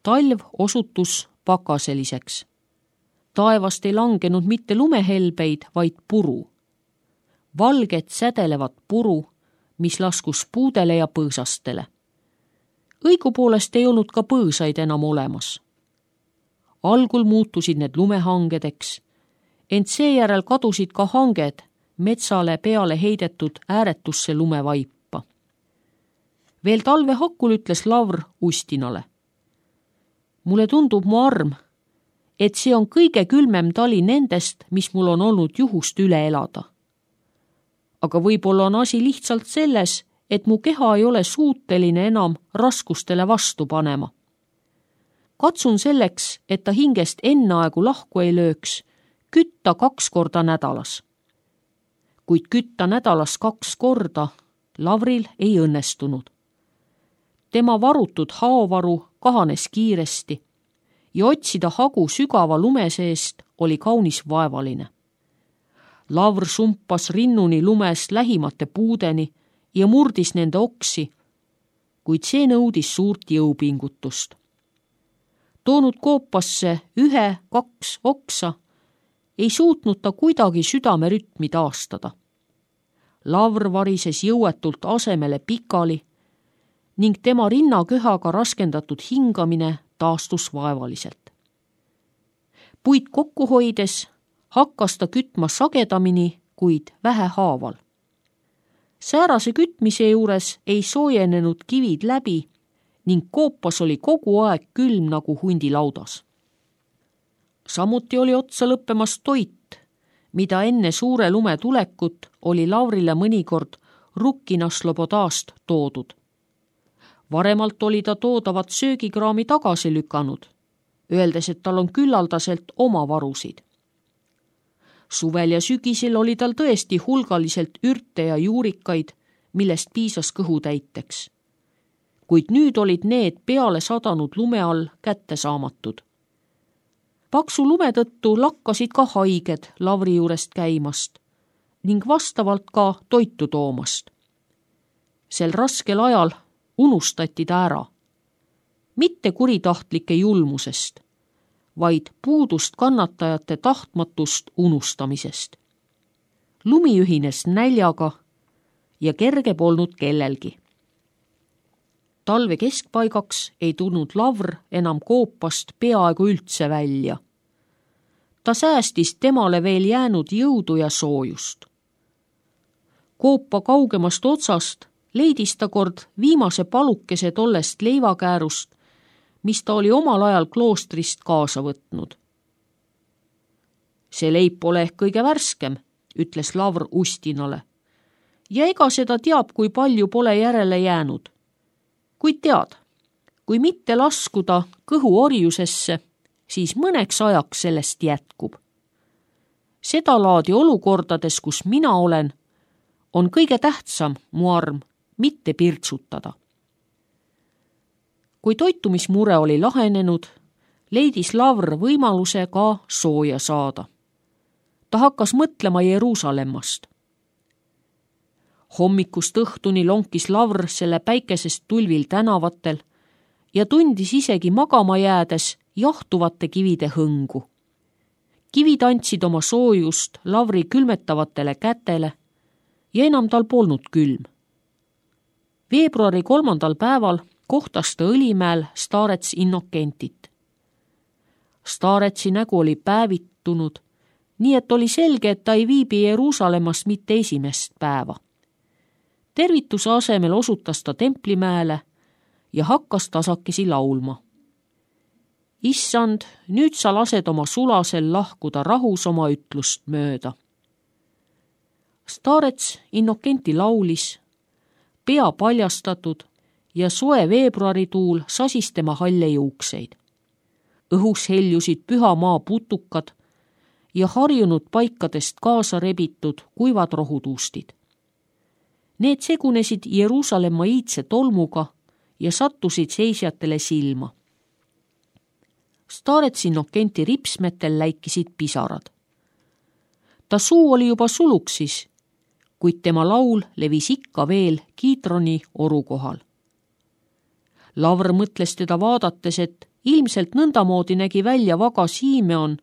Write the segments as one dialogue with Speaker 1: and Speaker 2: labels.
Speaker 1: Talv osutus pakaseliseks. Taevast ei langenud mitte lumehelbeid, vaid puru. Valget sädelevat puru, mis laskus puudele ja põõsastele. Õigupoolest ei olnud ka põõsaid enam olemas. Algul muutusid need lumehangedeks, ent seejärel kadusid ka hanged metsale peale heidetud ääretusse lumevaipa. Veel talve hakul ütles Lavr Ustinale. Mulle tundub, mu arm, et see on kõige külmem tali nendest, mis mul on olnud juhust üle elada. Aga võib-olla on asi lihtsalt selles, et mu keha ei ole suuteline enam raskustele vastu panema. Katsun selleks, et ta hingest enneaegu lahku ei lööks, kütta 2 korda nädalas. Kuid kütta nädalas 2 korda Lavril ei õnnestunud. Tema varutud haovaru kahanes kiiresti ja otsida hagu sügava lume seest oli kaunis vaevaline. Lavr sumpas rinnuni lumest lähimate puudeni ja murdis nende oksi, kuid see nõudis suurt jõupingutust. Toonud koopasse 1-2 oksa, ei suutnud ta kuidagi südamerütmi taastada. Lavr varises jõuetult asemele pikali ning tema rinnaköhaga raskendatud hingamine taastus vaevaliselt. Puid kokku hoides hakkas ta kütma sagedamini, kuid vähehaaval. Säärase kütmise juures ei soojenenud kivid läbi ning koopas oli kogu aeg külm nagu hundilaudas. Samuti oli otsa lõppemas toit, mida enne suure lume tulekut oli Lavrile mõnikord Rukkina Slobodast toodud. Varemalt oli ta toodavat söögikraami tagasi lükanud, öeldes, et tal on küllaldaselt oma varusid. Suvel ja sügisel oli tal tõesti hulgaliselt ürte ja juurikaid, millest piisas kõhu täiteks. Kuid nüüd olid need peale sadanud lume all kättesaamatud. Paksu lume tõttu lakkasid ka haiged Lavri juurest käimast ning vastavalt ka toitu toomast. Sel raskel ajal unustati ta ära. Mitte kuritahtlike julmusest, vaid puudust kannatajate tahtmatust unustamisest. Lumi ühines näljaga ja kerge polnud kellelgi. Talve keskpaigaks ei tulnud Lavr enam koopast peaaegu üldse välja. Ta säästis temale veel jäänud jõudu ja soojust. Koopa kaugemast otsast leidis ta kord viimase palukese tollest leivakäärust, mis ta oli omal ajal kloostrist kaasa võtnud. See leib pole ehk kõige värskem, ütles Lavr Ustinale. Ja ega seda teab, kui palju pole järele jäänud. Kuid tead, kui mitte laskuda kõhu orjusesse, siis mõneks ajaks sellest jätkub. Seda laadi olukordades, kus mina olen, on kõige tähtsam, mu arm, mitte pirtsutada. Kui toitumismure oli lahenenud, leidis Lavr võimaluse ka sooja saada. Ta hakkas mõtlema Jeruusalemmast. Hommikust õhtuni lonkis Lavr selle päikesest tulvil tänavatel ja tundis isegi magama jäädes jahtuvate kivide hõngu. Kivid andsid oma soojust Lavri külmetavatele kätele ja enam tal polnud külm. Veebruari 3. päeval kohtas ta Õlimäel Starets Innokentit. Staretsi nägu oli päevitunud, nii et oli selge, et ta ei viibi Jeruusalemmas mitte esimest päeva. Tervituse asemel osutas ta Templimäele ja hakkas tasakesi laulma. Issand, nüüd sa lased oma sulasel lahkuda rahus oma ütlust mööda. Starets Innokenti laulis, pea paljastatud ja soe veebruarituul sasis tema halle juukseid. Õhus heljusid püha maa putukad ja harjunud paikadest kaasa rebitud kuivad rohutuustid. Need segunesid Jeruusalemma iidse tolmuga ja sattusid seisjatele silma. Starets Innokenti ripsmetel läikisid pisarad. Ta suu oli juba suluksis, kuid tema laul levis ikka veel Kiidroni oru kohal. Lavr mõtles teda vaadates, et ilmselt nõndamoodi nägi välja vaga Simeon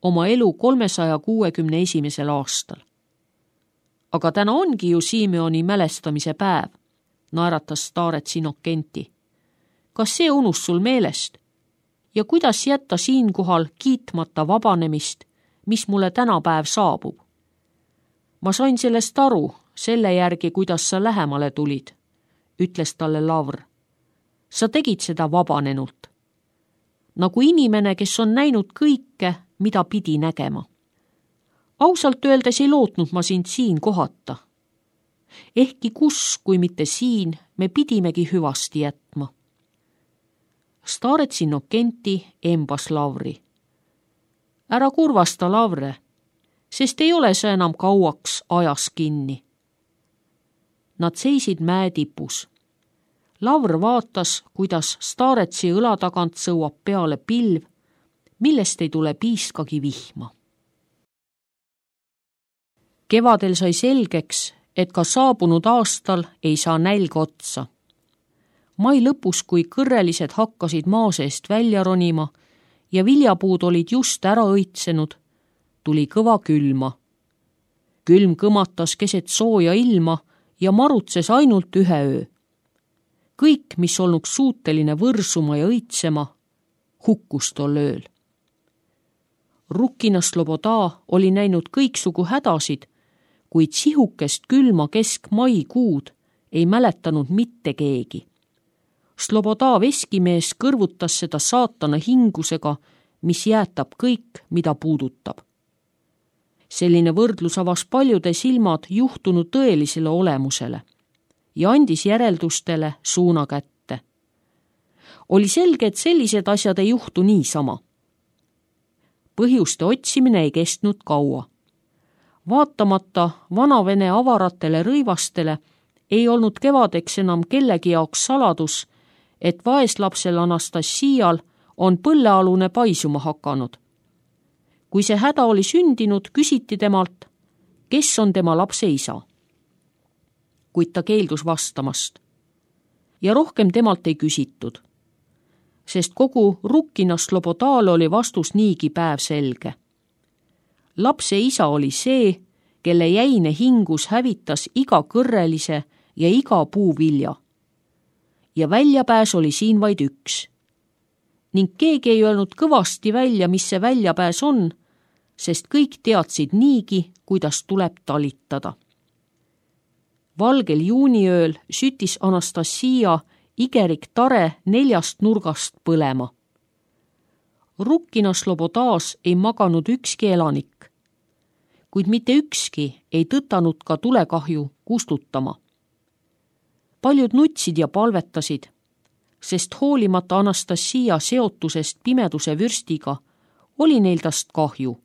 Speaker 1: oma elu 361. aastal. Aga täna ongi ju Simeoni mälestamise päev, naeratas Starets Innokenti. Kas see unus sul meelest? Ja kuidas jätta siinkohal kiitmata vabanemist, mis mulle tänapäev saabub? Ma sain sellest aru, selle järgi, kuidas sa lähemale tulid, ütles talle Lavr. Sa tegid seda vabanenult. Nagu inimene, kes on näinud kõike, mida pidi nägema. Ausalt öeldes ei lootnud ma sind siin kohata. Ehkki kus, kui mitte siin, me pidimegi hüvasti jätma. Starets Innokenti embas Lavri. Ära kurvasta, Lavre, sest ei ole sa enam kauaks ajas kinni. Nad seisid mäe tipus. Lavr vaatas, kuidas Staretsi õla tagant sõuab peale pilv, millest ei tule piiskagi vihma. Kevadel sai selgeks, et ka saabunud aastal ei saa nälg otsa. Mai lõpus, kui kõrrelised hakkasid maa seest välja ronima ja viljapuud olid just ära õitsenud, tuli kõva külma. Külm kõmatas keset sooja ilma ja marutses ainult ühe öö. Kõik, mis olnuks suuteline võrsuma ja õitsema, hukkus tol ööl. Rukkina Sloboda oli näinud kõiksugu hädasid, kuid sihukest külma keskmaikuud ei mäletanud mitte keegi. Sloboda veskimees kõrvutas seda saatana hingusega, mis jäätab kõik, mida puudutab. Selline võrdlus avas paljude silmad juhtunud tõelisele olemusele ja andis järeldustele suuna kätte. Oli selge, et sellised asjad ei juhtu niisama. Põhjuste otsimine ei kestnud kaua. Vaatamata vanavene avaratele rõivastele ei olnud kevadeks enam kellegi jaoks saladus, et vaeslapsel Anastassial on põllealune paisuma hakanud. Kui see häda oli sündinud, küsiti temalt, kes on tema lapse isa. Kuid ta keeldus vastamast. Ja rohkem temalt ei küsitud, sest kogu Rukkina Slobodal oli vastus niigi päevselge. Lapse isa oli see, kelle jäine hingus hävitas iga kõrrelise ja iga puuvilja. Ja väljapääs oli siin vaid üks. Ning keegi ei öelnud kõvasti välja, mis see väljapääs on, sest kõik teadsid niigi, kuidas tuleb talitada. Valgel juuniööl sütis Anastassia igerik tare 4 nurgast põlema. Rukkina Slobodas ei maganud ükski elanik, kuid mitte ükski ei tõtanud ka tulekahju kustutama. Paljud nutsid ja palvetasid, sest hoolimata Anastassia seotusest pimeduse vürstiga oli neil tast kahju.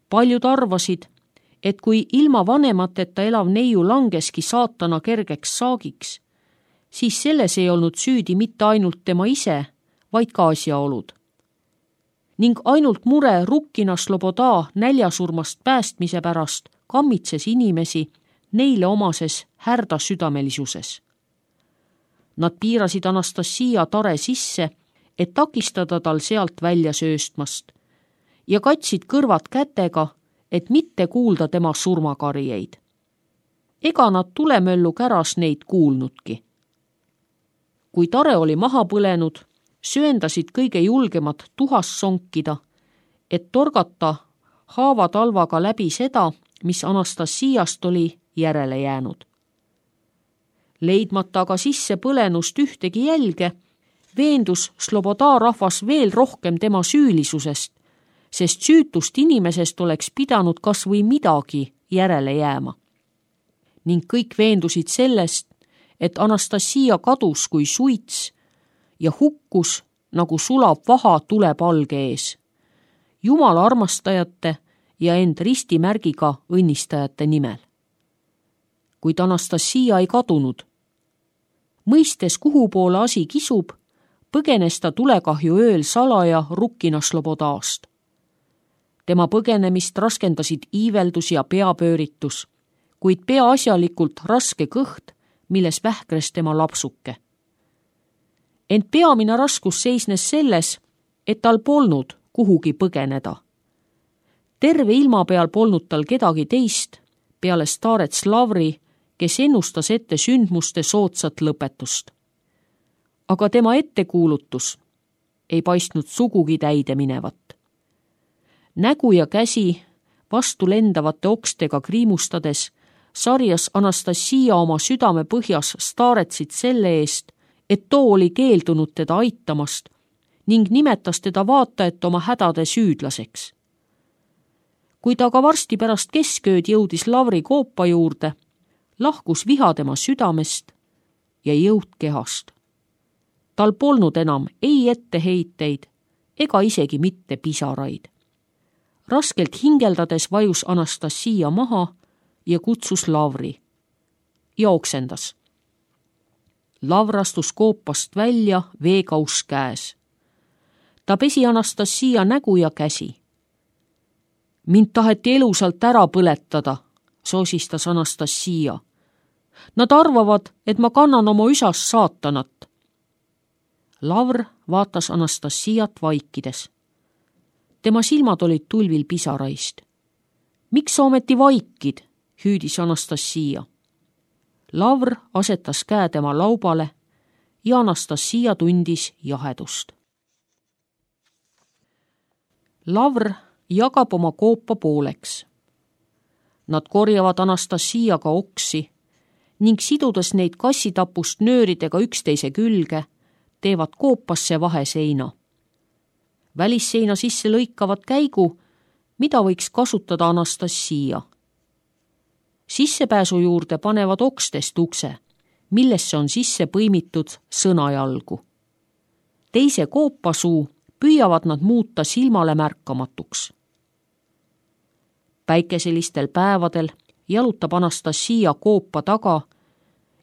Speaker 1: Paljud arvasid, et kui ilma vanemateta elav neiu langeski saatana kergeks saagiks, siis selles ei olnud süüdi mitte ainult tema ise, vaid ka asjaolud. Ning ainult mure Rukkina Sloboda näljasurmast päästmise pärast kammitses inimesi neile omases härdasüdamelisuses. Nad piirasid Anastassia tare sisse, et takistada tal sealt välja sööstmast ja katsid kõrvad kätega, et mitte kuulda tema surmakarjeid. Ega nad tulemöllu käras neid kuulnudki. Kui tare oli maha põlenud, sööndasid kõige julgemad tuhas sonkida, et torgata haavatalvaga läbi seda, mis Anastassiast oli järele jäänud. Leidmata aga sisse põlenust ühtegi jälge, veendus Sloboda rahvas veel rohkem tema süülisusest, sest süütust inimesest oleks pidanud kas või midagi järele jääma. Ning kõik veendusid sellest, et Anastassia kadus kui suits ja hukkus nagu sulab vaha tulepalge ees, Jumala armastajate ja end ristimärgiga õnnistajate nimel. Kuid Anastassia ei kadunud. Mõistes, kuhu poole asi kisub, põgenes ta tulekahju ööl salaja Rukkina Slobodast. Tema põgenemist raskendasid iiveldus ja peapööritus, kuid peaasjalikult raske kõht, milles vähkres tema lapsuke. Ent peamine raskus seisnes selles, et tal polnud kuhugi põgeneda. Terve ilma peal polnud tal kedagi teist peale staarets Lavri, kes ennustas ette sündmuste soodsat lõpetust. Aga tema ettekuulutus ei paistnud sugugi täide minevat. Nägu ja käsi vastu lendavate okstega kriimustades sarjas Anastasia oma südame põhjas staaretsid selle eest, et too oli keeldunud teda aitamast ning nimetas teda vaatajat oma hädade süüdlaseks. Kui ta aga varsti pärast keskööd jõudis Lavri koopa juurde, lahkus viha tema südamest ja jõud kehast. Tal polnud enam ei etteheiteid ega isegi mitte pisaraid. Raskelt hingeldades vajus Anastasia maha ja kutsus Lavri ja oksendas. Lavr astus koopast välja veekauss käes. Ta pesi Anastasia nägu ja käsi. Mind taheti elusalt ära põletada, soosistas Anastasia. Nad arvavad, et ma kannan oma üsas saatanat. Lavr vaatas Anastasiat vaikides. Tema silmad olid tulvil pisaraist. Miks sa ometi vaikid, hüüdis Anastasia. Lavr asetas käe tema laubale ja Anastasia tundis jahedust. Lavr jagab oma koopa pooleks. Nad korjavad Anastasiaga oksi ning sidudes neid kassitapust nööridega üksteise külge, teevad koopasse vaheseina. Välisseina sisse lõikavad käigu, mida võiks kasutada Anastasia. Sissepääsu juurde panevad okstest ukse, millesse on sisse põimitud sõnajalgu. Teise koopasuu püüavad nad muuta silmale märkamatuks. Päikeselistel päevadel jalutab Anastasia koopa taga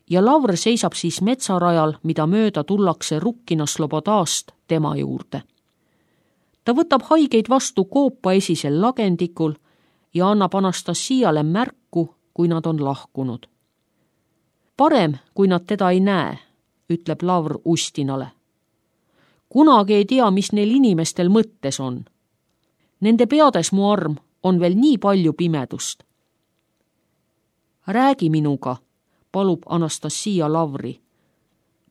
Speaker 1: ja Lavr seisab siis metsarajal, mida mööda tullakse Rukkina Slobodast tema juurde. Ta võtab haigeid vastu koopa esisel lagendikul ja annab Anastasiale märku, kui nad on lahkunud. Parem, kui nad teda ei näe, ütleb Lavr Ustinale. Kunagi ei tea, mis neil inimestel mõttes on. Nende peades, mu arm, on veel nii palju pimedust. Räägi minuga, palub Anastasia Lavri.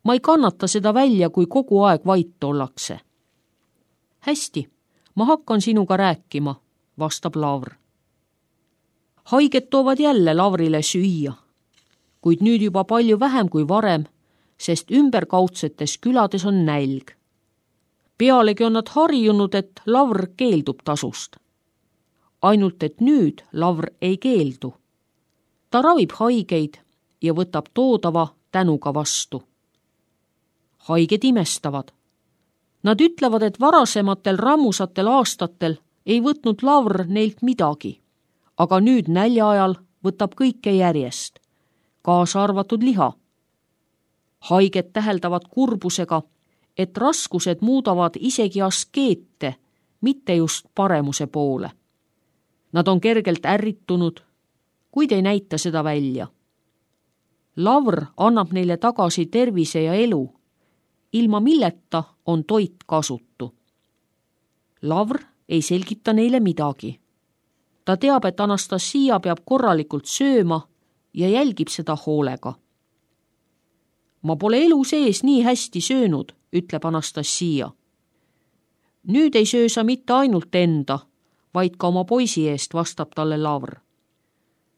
Speaker 1: Ma ei kannata seda välja, kui kogu aeg vait ollakse. Hästi, ma hakkan sinuga rääkima, vastab Lavr. Haiged toovad jälle Lavrile süüa, kuid nüüd juba palju vähem kui varem, sest ümberkaudsetes külades on nälg. Pealegi on nad harjunud, et Lavr keeldub tasust. Ainult, et nüüd Lavr ei keeldu. Ta ravib haigeid ja võtab toodava tänuga vastu. Haiged imestavad. Nad ütlevad, et varasematel rammusatel aastatel ei võtnud Lavr neilt midagi, aga nüüd nälja ajal võtab kõike järjest, kaasa arvatud liha. Haiged täheldavad kurbusega, et raskused muudavad isegi askeete, mitte just paremuse poole. Nad on kergelt ärritunud, kuid ei näita seda välja. Lavr annab neile tagasi tervise ja elu, ilma milleta on toit kasutu. Lavr ei selgita neile midagi. Ta teab, et Anastasia peab korralikult sööma ja jälgib seda hoolega. Ma pole elu sees nii hästi söönud, ütleb Anastasia. Nüüd ei söö sa mitte ainult enda, vaid ka oma poisi eest, vastab talle Lavr.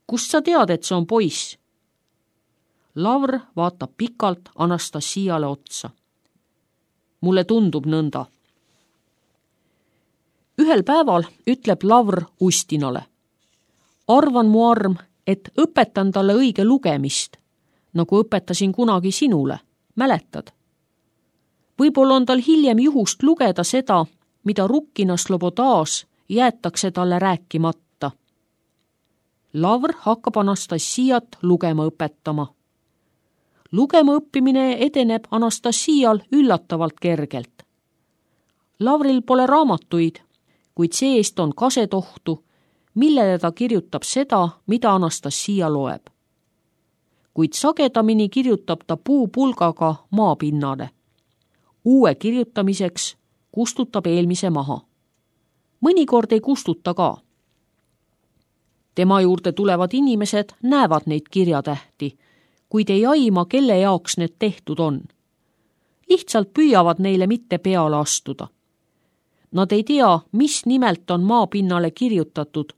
Speaker 1: Kust sa tead, et see on poiss? Lavr vaatab pikalt Anastasiale otsa. Mulle tundub nõnda. Ühel päeval ütleb Lavr Ustinale. Arvan, mu arm, et õpetan talle õige lugemist, nagu õpetasin kunagi sinule, mäletad? Võib-olla on tal hiljem juhust lugeda seda, mida Rukkina Slobodas jäetakse talle rääkimata. Lavr hakkab Anastasiat lugema õpetama. Lugema õppimine edeneb Anastasial üllatavalt kergelt. Lavril pole raamatuid, kuid see-eest on kasetohtu, millele ta kirjutab seda, mida Anastasia loeb. Kuid sagedamini kirjutab ta puupulgaga maapinnale. Uue kirjutamiseks kustutab eelmise maha. Mõnikord ei kustuta ka. Tema juurde tulevad inimesed näevad neid kirjatähti, kuid ei aima, kelle jaoks need tehtud on. Lihtsalt püüavad neile mitte peale astuda. Nad ei tea, mis nimelt on maapinnale kirjutatud,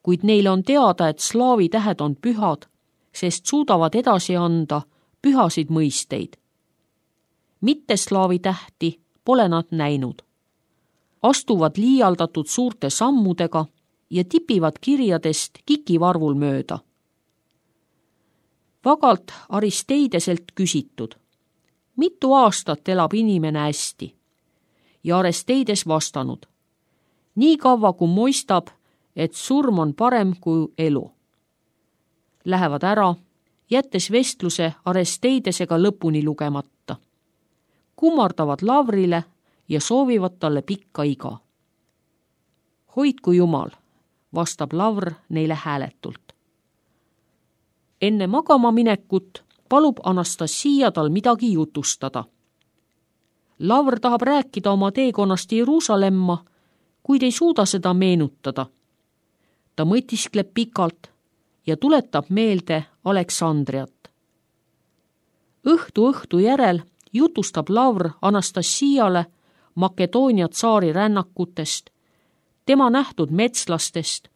Speaker 1: kuid neile on teada, et slaavi tähed on pühad, sest suudavad edasi anda pühasid mõisteid. Mitte slaavi tähti pole nad näinud. Astuvad liialdatud suurte sammudega ja tipivad kirjadest kikivarvul mööda. Vagalt Aristeideselt küsitud, mitu aastat elab inimene hästi? Ja Aristeides vastanud, nii kaua kui moistab, et surm on parem kui elu. Lähevad ära, jättes vestluse Aristeidesega lõpuni lugemata. Kummardavad Lavrile ja soovivad talle pikka iga. Hoidku Jumal, vastab Lavr neile hääletult. Enne magama minekut palub Anastasia tal midagi jutustada. Lavr tahab rääkida oma teekonnast Jeruusalemma, kuid ei suuda seda meenutada. Ta mõtiskleb pikalt ja tuletab meelde Aleksandriat. Õhtu järel jutustab Lavr Anastasiale Makedoonia tsaari rännakutest, tema nähtud metslastest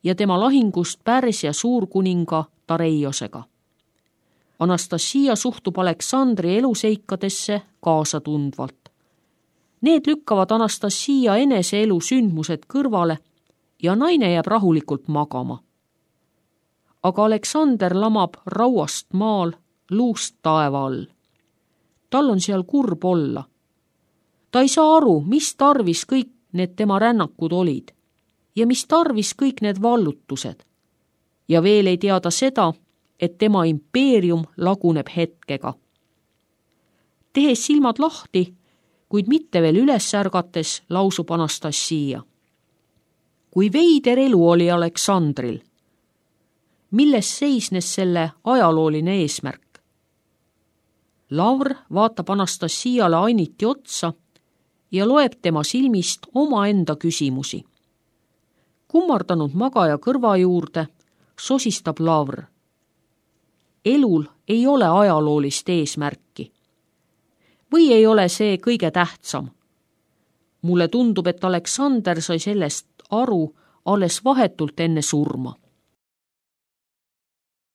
Speaker 1: ja tema lahingust Pärsia suurkuninga Dareiosega. Anastasia suhtub Aleksandri eluseikadesse kaasatundvalt. Need lükkavad Anastasia enese elu sündmused kõrvale ja naine jääb rahulikult magama. Aga Aleksander lamab rauast maal, luust taeva all. Tal on seal kurb olla. Ta ei saa aru, mis tarvis kõik need tema rännakud olid ja mis tarvis kõik need vallutused. Ja veel ei teada seda, et tema impeerium laguneb hetkega. Tehes silmad lahti, kuid mitte veel üles ärgates, lausub Anastasia. Kui veider elu oli Aleksandril, milles seisnes selle ajalooline eesmärk? Lavr vaatab Anastasiale ainiti otsa ja loeb tema silmist omaenda küsimusi. Kummardanud magaja kõrva juurde sosistab Lavr. Elul ei ole ajaloolist eesmärki. Või ei ole see kõige tähtsam? Mulle tundub, et Aleksander sai sellest aru alles vahetult enne surma.